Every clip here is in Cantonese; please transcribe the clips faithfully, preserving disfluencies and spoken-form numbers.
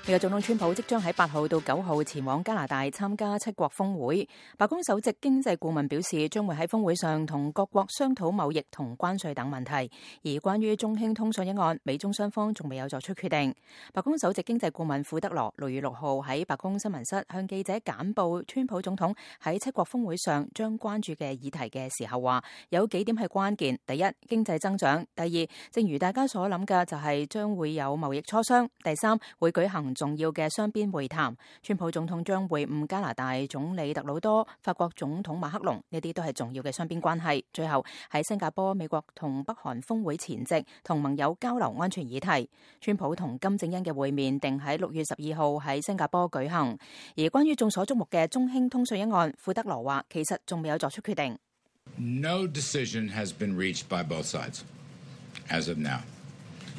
美國總統川普即將喺八號到九號前往加拿大參加七國峰會。白宮首席經濟顧問表示，將會喺峰會上同各國商討貿易同關稅等問題。而關於中興通訊一案，美中雙方仲未有作出決定。白宮首席經濟顧問庫德羅六月六號喺白宮新聞室向記者簡報川普總統喺七國峰會上將關注嘅議題嘅時候話，有幾點係關鍵。第一，經濟增長；第二，正如大家所諗嘅，就係將會有貿易磋商；第三，會舉行重要嘅雙邊會談，川普總統將會晤加拿大總理特魯多、法國總統馬克龍，呢啲都係重要嘅雙邊關係。最後喺新加坡，美國同北韓峰會前夕，同盟友交流安全議題。川普同金正恩嘅會面定喺六月十二號喺新加坡舉行。而關於眾所矚目嘅中興通訊一案，庫德羅話其實仲未有作出決定。No decision has been reached by both sides as of now.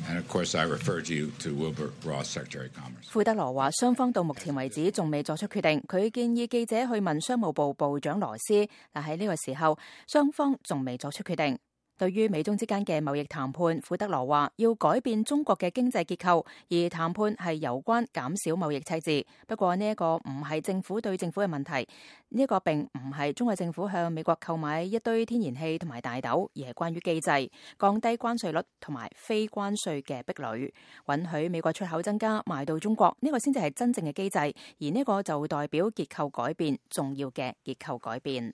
And of course, I referred you to Wilbur Ross, Secretary of Commerce. 庫德羅話，雙方到目前為止仲未作出決定。佢建議記者去問商務部部長羅斯，但喺呢個時候，雙方仲未作出決定。對於美中之間嘅貿易談判，庫德羅話要改變中國嘅經濟結構，而談判係有關減少貿易赤字。不過呢一個唔係政府對政府嘅問題，呢一個並唔係中國政府向美國購買一堆天然氣同埋大豆，而係關於機制，降低關稅率同埋非關稅嘅壁壘，允許美國出口增加賣到中國，呢個先至係真正嘅機制，而呢個就代表結構改變，重要嘅結構改變。